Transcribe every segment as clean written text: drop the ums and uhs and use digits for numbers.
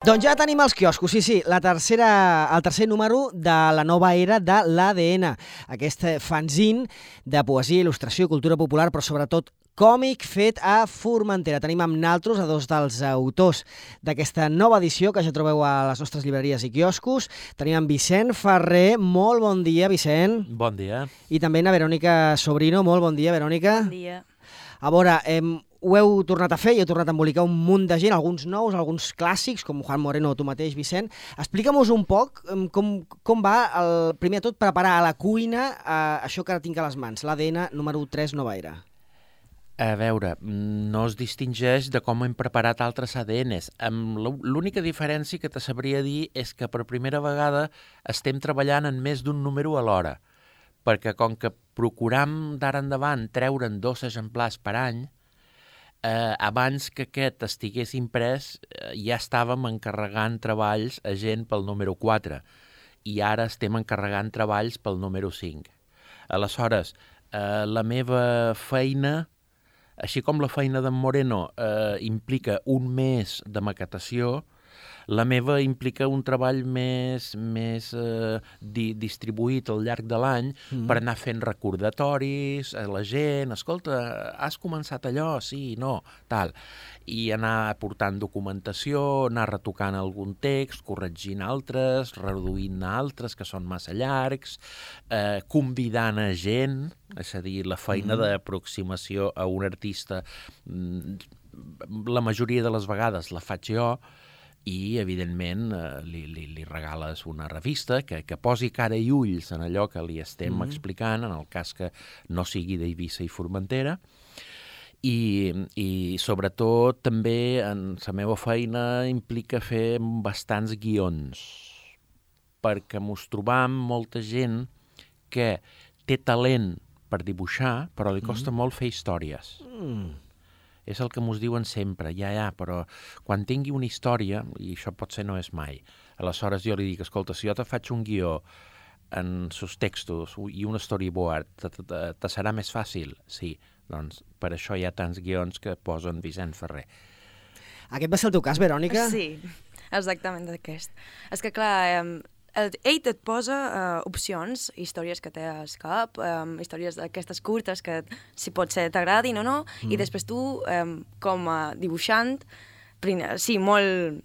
Doncs ja tenim els quioscos, sí, el tercer número de la nova era de l'ADN, aquest fanzine de poesia, il·lustració i cultura popular, però sobretot còmic fet a Formentera. Tenim amb naltros a dos dels autors d'aquesta nova edició que ja trobeu a les nostres llibreries i quioscos. Tenim amb Vicent Ferrer. Molt bon dia, Vicent. Bon dia. I també a Verònica Sobrino. Molt bon dia, Verònica. Bon dia. A veure, ho heu tornat a fer i heu tornat a embolicar un munt de gent, alguns nous, alguns clàssics, com Juan Moreno o tu mateix, Vicent. Explica'm-nos un poc com va, primer de tot, preparar a la cuina això que ara tinc a les mans, l'ADN número 3 Nova Era. A veure, no es distingeix de com hem preparat altres ADNs. L'única diferència que te sabria dir és que per primera vegada estem treballant en més d'un número alhora, perquè com que procuram d'ara endavant treure'n 2 exemplars per any, abans que aquest estigués imprès ja estàvem encarregant treballs a gent pel número 4 i ara estem encarregant treballs pel número 5. Aleshores, la meva feina, així com la feina d'en Moreno implica un mes de maquetació, la meva implica un treball més distribuït al llarg de l'any per anar fent recordatoris a la gent. Escolta, has començat allò? Sí, no, tal. I anar aportant documentació, anar retocant algun text, corregint altres, reduint altres que són massa llargs, convidant a gent, és a dir, la feina d'aproximació a un artista, la majoria de les vegades la faig jo, i, evidentment, li regales una revista que posi cara i ulls en allò que li estem explicant, en el cas que no sigui d'Eivissa i Formentera, i sobretot també en la meva feina implica fer bastants guions, perquè mos trobam molta gent que té talent per dibuixar, però li costa molt fer històries. És el que mos diuen sempre, però quan tingui una història, i això potser no és mai, aleshores jo li dic, escolta, si jo te faig un guió en sus textos i un storyboard, te serà més fàcil? Sí, doncs per això hi ha tants guions que posen Vicent Ferrer. Aquest va ser el teu cas, Verònica? Sí, exactament aquest. És que, clar, ell et posa opcions, històries que té al cap, històries d'aquestes curtes que, si pot ser, t'agradin o no, i després tu, com a dibuixant, sí, molt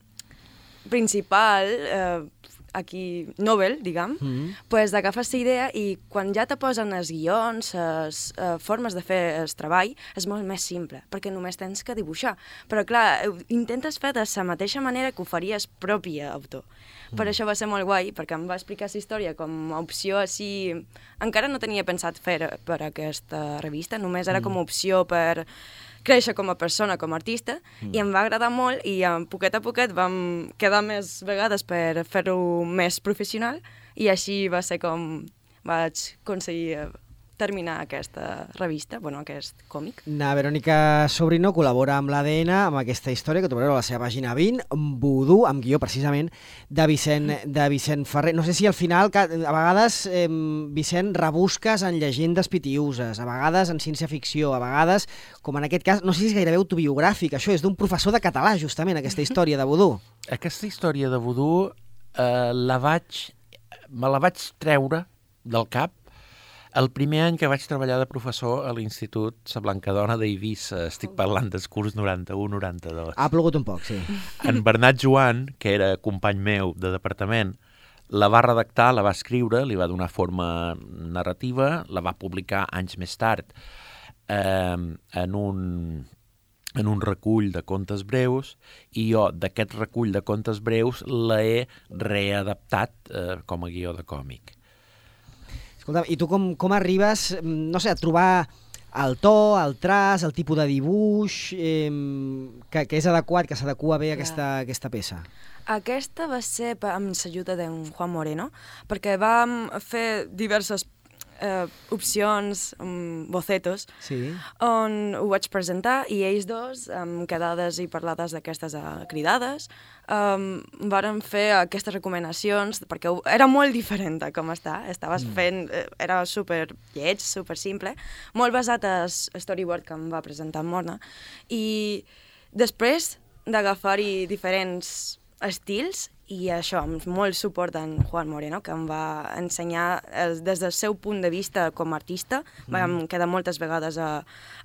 principal, aquí, novel, diguem, pues agafes la idea i quan ja te posen els guions, les formes de fer el treball, és molt més simple, perquè només tens que dibuixar. Però, clar, intentes fer de la mateixa manera que ho faries propi autor. Per això va ser molt guai, perquè em va explicar la història com a opció així... Encara no tenia pensat fer per aquesta revista, només era com a opció per créixer com a persona, com a artista, i em va agradar molt i poquet a poquet vam quedar més vegades per fer-ho més professional i així va ser com vaig aconseguir terminar aquesta revista, aquest còmic. La Verònica Sobrino col·labora amb l'ADN, amb aquesta història que trobareu a la seva pàgina 20, Vudú, amb guió precisament de Vicent Ferrer. No sé si al final, a vegades, Vicent, rebusques en llegendes pitiuses, a vegades en ciència-ficció, a vegades, com en aquest cas, no sé si és gairebé autobiogràfic, això és d'un professor de català, justament, aquesta història de Vudú. Aquesta història de Vudú me la vaig treure del cap el primer any que vaig treballar de professor a l'Institut Sa Blancadona d'Eivissa. Estic parlant del curs 91-92. Ha plogut un poc, sí. En Bernat Joan, que era company meu de departament, la va redactar, la va escriure, li va donar forma narrativa, la va publicar anys més tard en un recull de contes breus, i jo d'aquest recull de contes breus l'he readaptat com a guió de còmic. Escolta, i tu com arribes, no sé, a trobar el to, el traç, el tipus de dibuix que és adequat, que s'adequa bé a aquesta peça? Aquesta va ser amb l'ajuda d'en Juan Moreno, perquè vam fer diverses opcions, bocetos, on ho vaig presentar i ells dos, amb quedades i parlades d'aquestes cridades, varen fer aquestes recomanacions, perquè era molt diferent de com estaves fent, era super lleig, super simple, molt basat al storyboard que em va presentar en Morna, i després d'agafar-hi diferents estils, i això, amb molt suport d'en Juan Moreno, que em va ensenyar des del seu punt de vista com a artista. Vam quedar moltes vegades a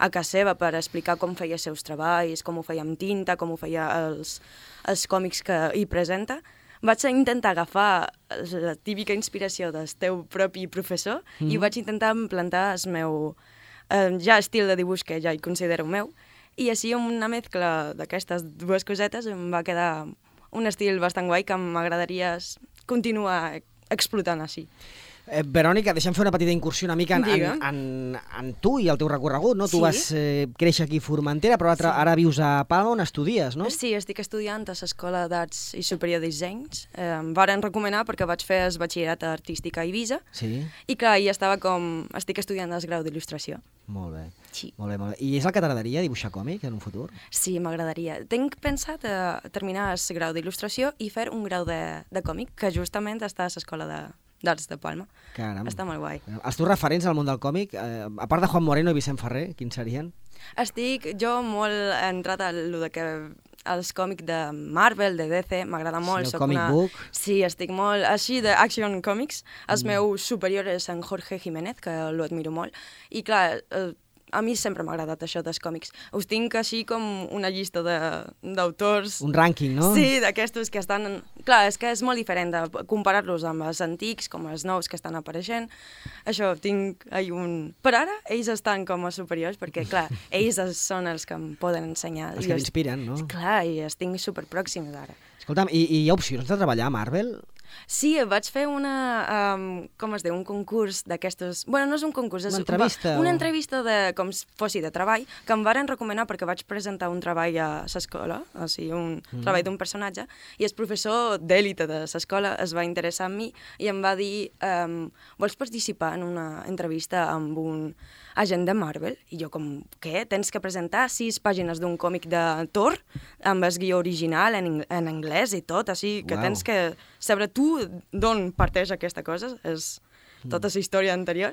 casa seva per explicar com feia els seus treballs, com ho feia amb tinta, com ho feia els còmics que hi presenta. Vaig intentar agafar la típica inspiració del teu propi professor i vaig intentar implantar el meu ja estil de dibuix que ja hi considero meu. I així, amb una mescla d'aquestes dues cosetes, em va quedar un estil bastant guai que m'agradaria continuar explotant així. Verònica, deixa'm fer una petita incursió una mica en tu i el teu recorregut, no? Sí. Tu vas créixer aquí a Formentera, però ara vius a Palma, on estudies, no? Sí, estic estudiant a l'Escola d'Arts i Superior de Dissenys. Em varen recomanar perquè vaig fer el batxillerat artístic a Eivissa. Sí. I clar, hi estava estic estudiant el grau d'il·lustració. Molt bé. Sí. Molt bé. I és el que t'agradaria, dibuixar còmic en un futur? Sí, m'agradaria. Tinc pensat terminar el grau d'il·lustració i fer un grau de còmic, que justament està a l'Escola d'Arts de Palma. Caram. Està molt guai. Els teus referents al món del còmic, a part de Juan Moreno i Vicent Ferrer, quins serien? Estic jo molt entrat a lo de que els còmics de Marvel, de DC, m'agrada molt. Sí, el comic book. Sí, estic molt així d'Action Comics. Els meus superiors és en Jorge Jiménez, que l'admiro molt. I clar, a mi sempre m'ha agradat això dels còmics. Us tinc així com una llista d'autors. Un rànquing, no? Sí, d'aquestos que estan... Clar, és que és molt diferent de comparar-los amb els antics, com els nous que estan apareixent. Això, tinc un... Per ara, ells estan com a superiors, perquè, clar, ells són els que em poden ensenyar. Els que t'inspiren, no? Clar, i els tinc superpròxims ara. Escolta'm, i hi ha opcions de treballar a Marvel? Sí, vaig fer un concurs d'aquestos... Bueno, no és un concurs, és una entrevista. Una entrevista com si fossi de treball, que em varen recomanar perquè vaig presentar un treball a l'escola, o sigui, un treball d'un personatge, i el professor d'èlite de l'escola es va interessar en mi i em va dir vols participar en una entrevista amb un agent de Marvel? I jo com, què? Tens que presentar 6 pàgines d'un còmic de Thor amb el guió original en anglès i tot, així que tens que saber tu d'on parteix aquesta cosa, és tota la història anterior,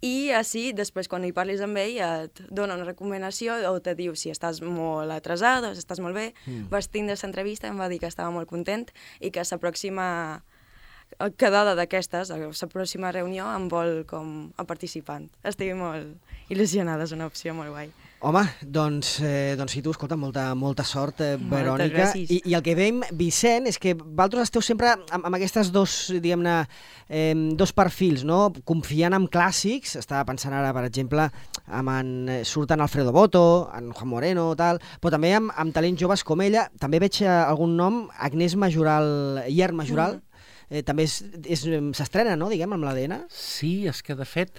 i així, després, quan hi parlis amb ell, et dona una recomanació o te diu si estàs molt atrasat o si estàs molt bé. Vas tindre aquesta entrevista, em va dir que estava molt content i que la pròxima quedada d'aquestes, la pròxima reunió, em vol com a participant. Estic molt il·lusionada, és una opció molt guai. Home, doncs sí, tu, escolta, molta sort, Verònica. gràcies. I el que veiem, Vicent, és que vosaltres esteu sempre amb aquestes diguem-ne, dos perfils, no? Confiant en clàssics, estava pensant ara, per exemple, surt en Alfredo Boto, en Juan Moreno, tal, però també amb talents joves com ella. També veig algun nom, Agnès Majoral, Ier Majoral, també s'estrena, no?, diguem, amb l'ADN? Sí, és que, de fet,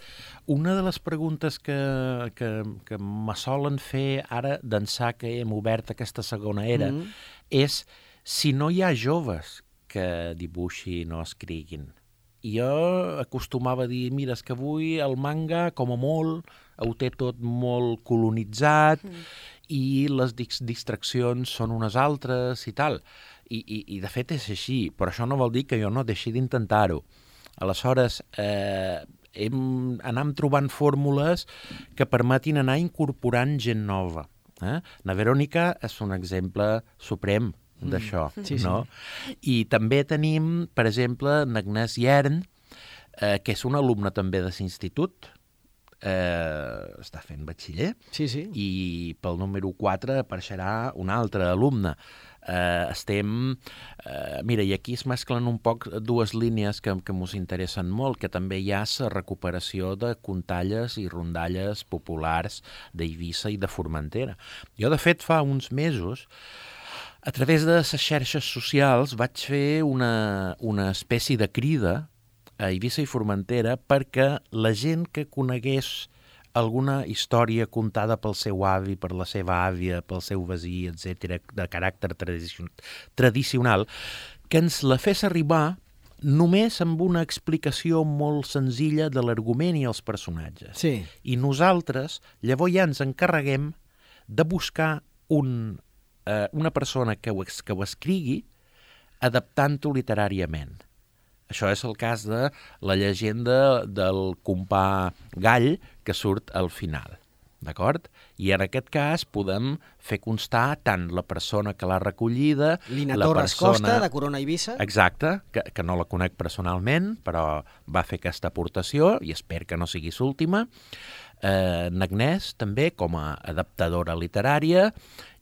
una de les preguntes que me solen fer ara, d'ençà que hem obert aquesta segona era, és si no hi ha joves que dibuixin o escriguin. I jo acostumava a dir, mira, és que avui el manga, com a molt, ho té tot molt colonitzat i les distraccions són unes altres i tal. I de fet és així, però això no vol dir que jo no deixi d'intentar-ho. Aleshores, anem trobant fórmules que permetin anar incorporant gent nova. La Verònica és un exemple suprem d'això, no? I també tenim, per exemple, l'Agnès Iern, que és una alumna també de l'institut, està fent batxiller, i pel número 4 apareixerà una altra alumna. Mira, i aquí es mesclen un poc dues línies que ens interessen molt, que també hi ha la recuperació de contalles i rondalles populars d'Eivissa i de Formentera. Jo, de fet, fa uns mesos, a través de les xarxes socials, vaig fer una espècie de crida a Eivissa i Formentera perquè la gent que conegués alguna història contada pel seu avi, per la seva àvia, pel seu veí, etc., de caràcter tradicional, que ens la fes arribar només amb una explicació molt senzilla de l'argument i els personatges. Sí. I nosaltres, llavors ja ens encarreguem de buscar una persona que ho escrigui adaptant-ho literàriament. Això és el cas de la llegenda del compà Gall que surt al final. d'acord? I en aquest cas podem fer constar tant la persona que l'ha recollida... Lina la Torres persona... Costa, de Corona Eivissa. Exacte, que no la conec personalment, però va fer aquesta aportació i espero que no sigui l'última. N'Agnès, també, com a adaptadora literària,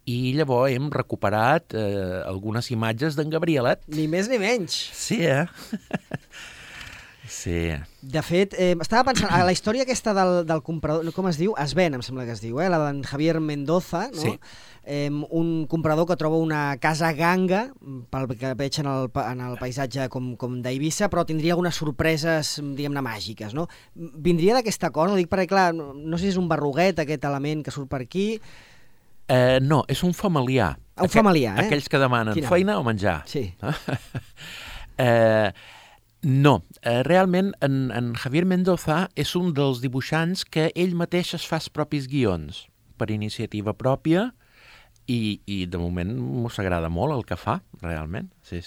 i llavors hem recuperat algunes imatges d'en Gabrielet. Ni més ni menys. Sí, Sí. De fet, estava pensant, a la història aquesta del comprador, com es diu? Esben, em sembla que es diu, la d'en Javier Mendoza, no? Sí. Un comprador que troba una casa ganga, pel que veig en el paisatge com d'Eivissa, però tindria algunes sorpreses, diguem-ne, màgiques, no? Vindria d'aquest acord? Ho dic perquè, clar, no sé si és un berruguet, aquest element que surt per aquí... No, és un familiar. Un familiar, Aquells que demanen feina o menjar. Sí. No, realment en Javier Mendoza és un dels dibuixants que ell mateix es fa els propis guions per iniciativa pròpia i de moment m'ho agrada molt el que fa, realment, sí.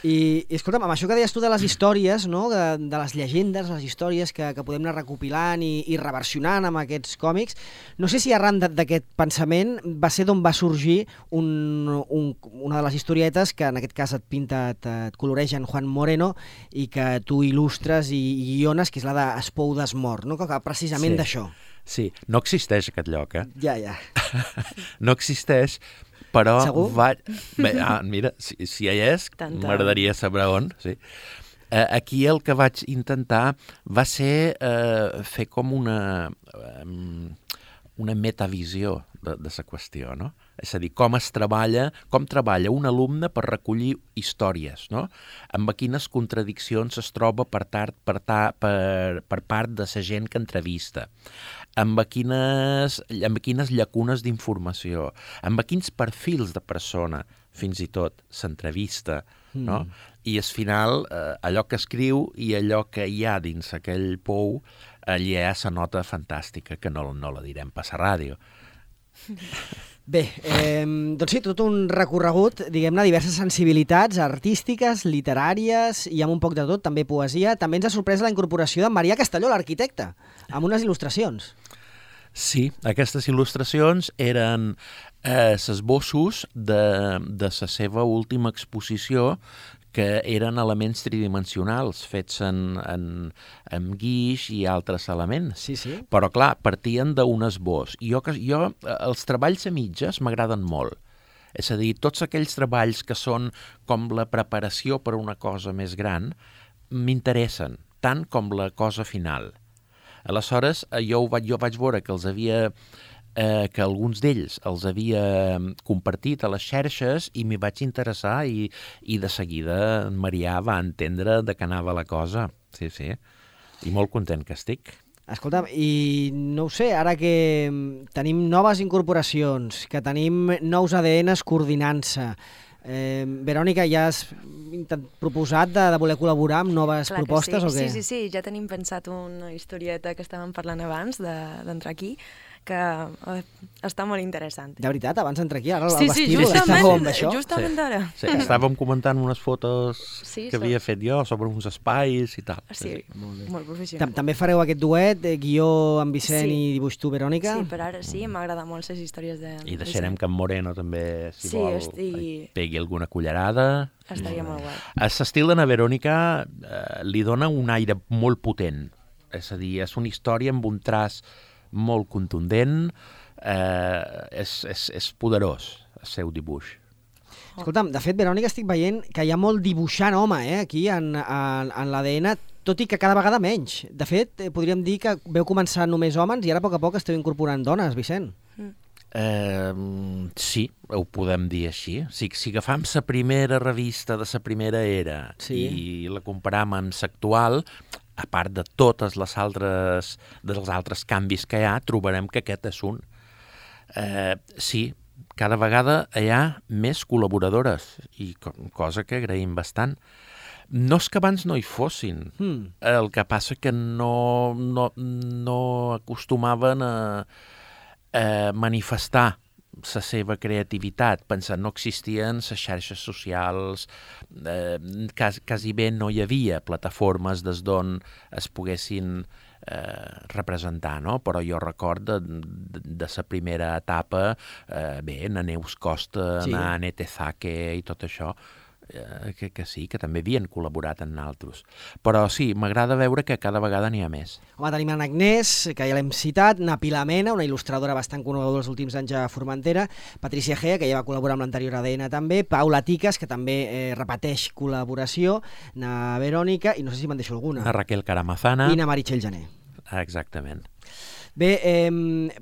I escolta'm, amb això que deies tu de les històries, no? de les llegendes, les històries que podem anar recopilant i reversionant amb aquests còmics, no sé si arran d'aquest pensament va ser d'on va sorgir una de les historietes que en aquest cas et pinta, et coloreja en Juan Moreno i que tu il·lustres i guiones, que és la d'Espou d'Esmort, no? Que precisament d'això. Sí, no existeix aquest lloc, Ja. No existeix, però... Segur? Mira, si hi és, m'agradaria saber on. Sí. Aquí el que vaig intentar va ser fer com una metavisió de la qüestió, no? És a dir, com treballa un alumne per recollir històries, no? Amb quines contradiccions es troba per part de la gent que entrevista, amb quines llacunes d'informació, amb quins perfils de persona fins i tot s'entrevista, no? I al final allò que escriu i allò que hi ha dins aquell pou, allà hi ha la nota fantàstica, que no la direm per la ràdio. Bé, doncs sí, tot un recorregut, diguem-ne, diverses sensibilitats artístiques, literàries i amb un poc de tot, també poesia. També ens ha sorprès la incorporació d'en Marià Castelló, l'arquitecte, amb unes il·lustracions. Sí, aquestes il·lustracions eren esbossos de la seva última exposició, que eren elements tridimensionals fets amb guix i altres elements. Sí. Però, clar, partien d'un esbós. I jo els treballs a mitges m'agraden molt. És a dir, tots aquells treballs que són com la preparació per a una cosa més gran m'interessen, tant com la cosa final. Aleshores, jo vaig veure que que alguns d'ells els havia compartit a les xarxes i m'hi vaig interessar i de seguida en Marià va entendre de què anava la cosa. Sí. I molt content que estic. Escolta'm, i no ho sé, ara que tenim noves incorporacions, que tenim nous ADNs coordinant-se, Verònica, ja has proposat de voler col·laborar amb noves propostes o què? Sí, ja tenim pensat una historieta que estàvem parlant abans d'entrar aquí, que està molt interessant. De veritat, abans d'entrar aquí, ara el Sí, vestíbul està bomb, això? Justament ara. Sí, estàvem comentant unes fotos que havia fet jo sobre uns espais i tal. Sí, molt professional. També fareu aquest duet, guió amb Vicent i dibuix tu, Verònica? Sí, per ara sí, m'agrada molt les històries de... I deixarem que en Moreno també, si vol, pegui alguna cullerada. Estaria molt guai. L'estil de na Verònica li dona un aire molt potent. És a dir, és una història amb un traç molt contundent, és poderós el seu dibuix. Escolta'm, de fet, Verònica, estic veient que hi ha molt dibuixant home aquí en l'ADN, tot i que cada vegada menys. De fet, podríem dir que veu començar només homes i ara a poc esteu incorporant dones, Vicent. Sí, ho podem dir així. Si agafam la primera revista de la primera era i la comparam amb l'actual, a part de tots els altres canvis que hi ha, trobarem que aquest és un. Sí, cada vegada hi ha més col·laboradores, i cosa que agraïm bastant. No és que abans no hi fossin, el que passa que no acostumaven a manifestar la seva creativitat, pensant no existien les xarxes socials, quasi bé no hi havia plataformes des d'on es poguessin representar, no? Però jo record de la primera etapa, na Neus Costa, na Anete Zake i tot això, que sí, que també havien col·laborat en altres. Però sí, m'agrada veure que cada vegada n'hi ha més. Home, tenim en Agnès, que ja l'hem citat, na Pilar Mena, una il·lustradora bastant coneguda els últims anys a Formentera, Patricia Gea, que ja va col·laborar amb l'anterior ADN també, Paula Ticas, que també repeteix col·laboració, na Verònica, i no sé si me'n deixo alguna. Na Raquel Caramazana. I na Meritxell Jané. Exactament. Bé,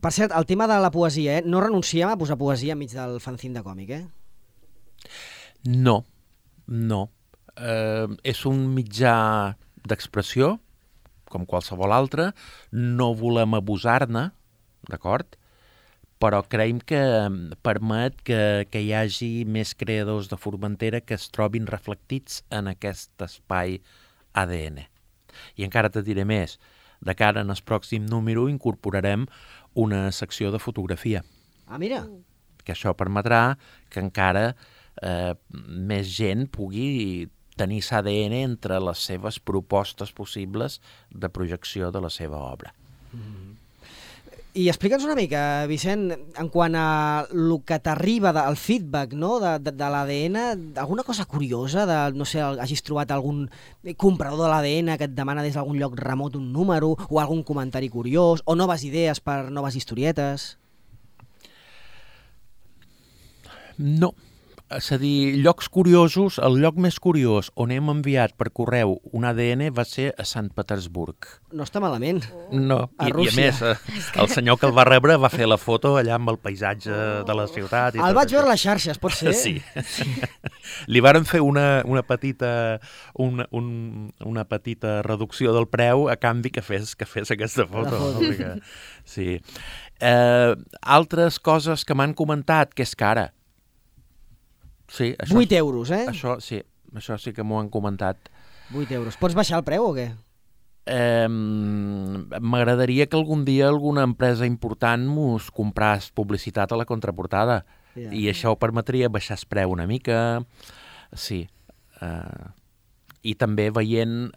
per cert, el tema de la poesia, no renunciem a posar poesia enmig del fanzine de còmic, No. És un mitjà d'expressió, com qualsevol altre, no volem abusar-ne, d'acord? Però creiem que permet que hi hagi més creadors de Formentera que es trobin reflectits en aquest espai ADN. I encara te diré més, de cara en el pròxim número incorporarem una secció de fotografia. Ah, mira! Que això permetrà que encara més gent pugui tenir l'ADN entre les seves propostes possibles de projecció de la seva obra. I explica'ns una mica, Vicent, en quant a el que t'arriba, el feedback, no?, de l'ADN, alguna cosa curiosa, no sé, hagis trobat algun comprador de l'ADN que et demana des d'algun lloc remot un número, o algun comentari curiós, o noves idees per noves historietes? No. És a dir, llocs curiosos, el lloc més curiós on hem enviat per correu un ADN va ser a Sant Petersburg. No està malament. No, a i a més, el senyor que el va rebre va fer la foto allà amb el paisatge de la ciutat. El vaig veure a les xarxes, pot ser? Sí. Li varen fer una petita reducció del preu a canvi que fes aquesta foto. Sí. Altres coses que m'han comentat, que és cara. Sí, 8 euros, Això sí que m'ho han comentat. 8 euros. Pots baixar el preu o què? M'agradaria que algun dia alguna empresa important mos compràs publicitat a la contraportada. I això ho permetria baixar el preu una mica. Sí. I també veient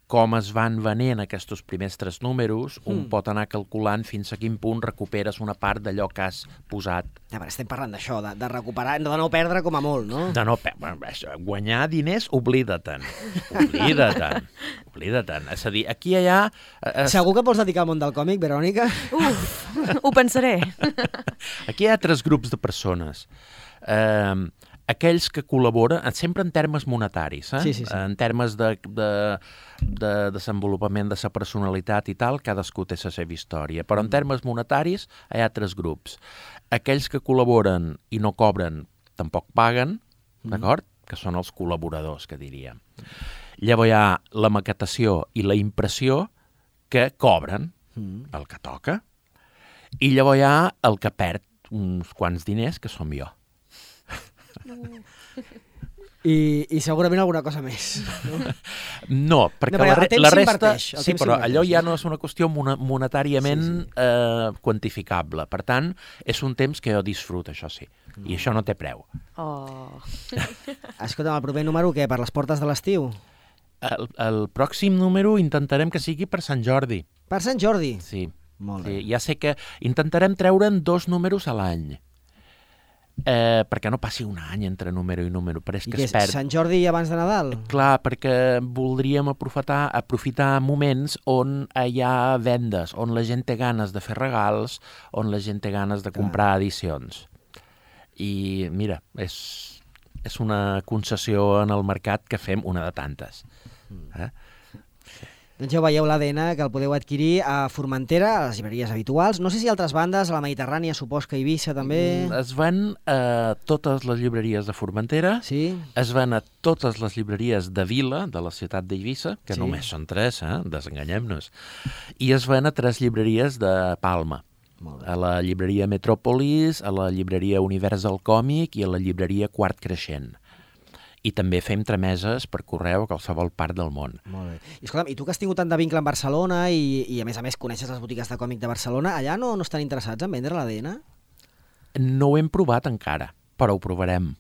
com es van venent aquests primers 3 números, un pot anar calculant fins a quin punt recuperes una part d'allò que has posat. Ja, però estem parlant d'això, de recuperar, de no perdre com a molt, no? De no perdre. Guanyar diners, oblida-te'n. Oblida-te'n. És a dir, aquí i allà... Segur que vols dedicar al món del còmic, Verònica? Ho pensaré. Aquí hi ha 3 grups de persones. Aquells que col·laboren, sempre en termes monetaris, Sí. En termes de desenvolupament de la personalitat i tal, cadascú té la seva història. Però en termes monetaris hi ha 3 grups. Aquells que col·laboren i no cobren, tampoc paguen, d'acord? Que són els col·laboradors, que diríem. Llavors hi ha la maquetació i la impressió que cobren el que toca. I llavors hi ha el que perd uns quants diners, que som jo. I segurament alguna cosa més. No, perquè la resta... Sí, però allò ja no és una qüestió monetàriament quantificable. Per tant, és un temps que jo disfruto, això sí. I això no té preu. Escolta'm, el proper número, què? Per les portes de l'estiu? El pròxim número intentarem que sigui per Sant Jordi. Per Sant Jordi? Sí. Molt bé. Ja sé que intentarem treure'n 2 números a l'any. Perquè no passi un any entre número i número, però és que es perd. Sant Jordi abans de Nadal? Clar, perquè voldríem aprofitar moments on hi ha vendes, on la gent té ganes de fer regals, on la gent té ganes de comprar edicions. I mira, és una concessió en el mercat que fem una de tantes. Doncs ja ho veieu, l'ADN, que el podeu adquirir a Formentera, a les llibreries habituals. No sé si altres bandes, a la Mediterrània, supos que a Eivissa també... Es ven a totes les llibreries de Formentera, es ven a totes les llibreries de Vila, de la ciutat d'Eivissa, que només són 3, desenganyem-nos, i es ven a 3 llibreries de Palma. A la llibreria Metròpolis, a la llibreria Univers del Còmic i a la llibreria Quart Creixent. I també fem trameses per correu a qualsevol part del món. Molt bé. I escolta'm, i tu que has tingut tant de vincle amb Barcelona i a més coneixes les botigues de còmic de Barcelona, allà no estan interessats en vendre l'ADN? No ho hem provat encara, però ho provarem.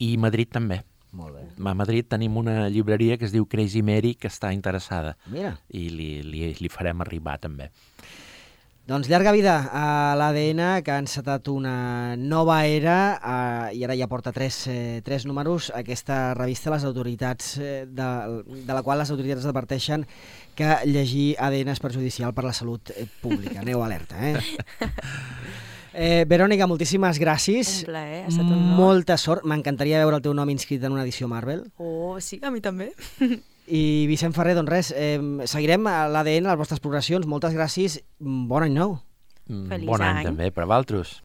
I Madrid també. Molt bé. a Madrid tenim una llibreria que es diu Crazy Mary, que està interessada. Mira. I li farem arribar, també. Doncs llarga vida a l'ADN, que ha encetat una nova era i ara ja porta tres números. Aquesta revista, les autoritats, de la qual les autoritats adverteixen que llegir ADN és perjudicial per la salut pública. Aneu alerta, Verònica, moltíssimes gràcies. Un plaer, ha estat un honor. Molta sort. M'encantaria veure el teu nom inscrit en una edició Marvel. Oh, sí, a mi també. I Vicent Ferrer, doncs res, seguirem a l'ADN, a les vostres progressions. Moltes gràcies. Bon any nou. Feliç Bon any any. també per a vosaltres.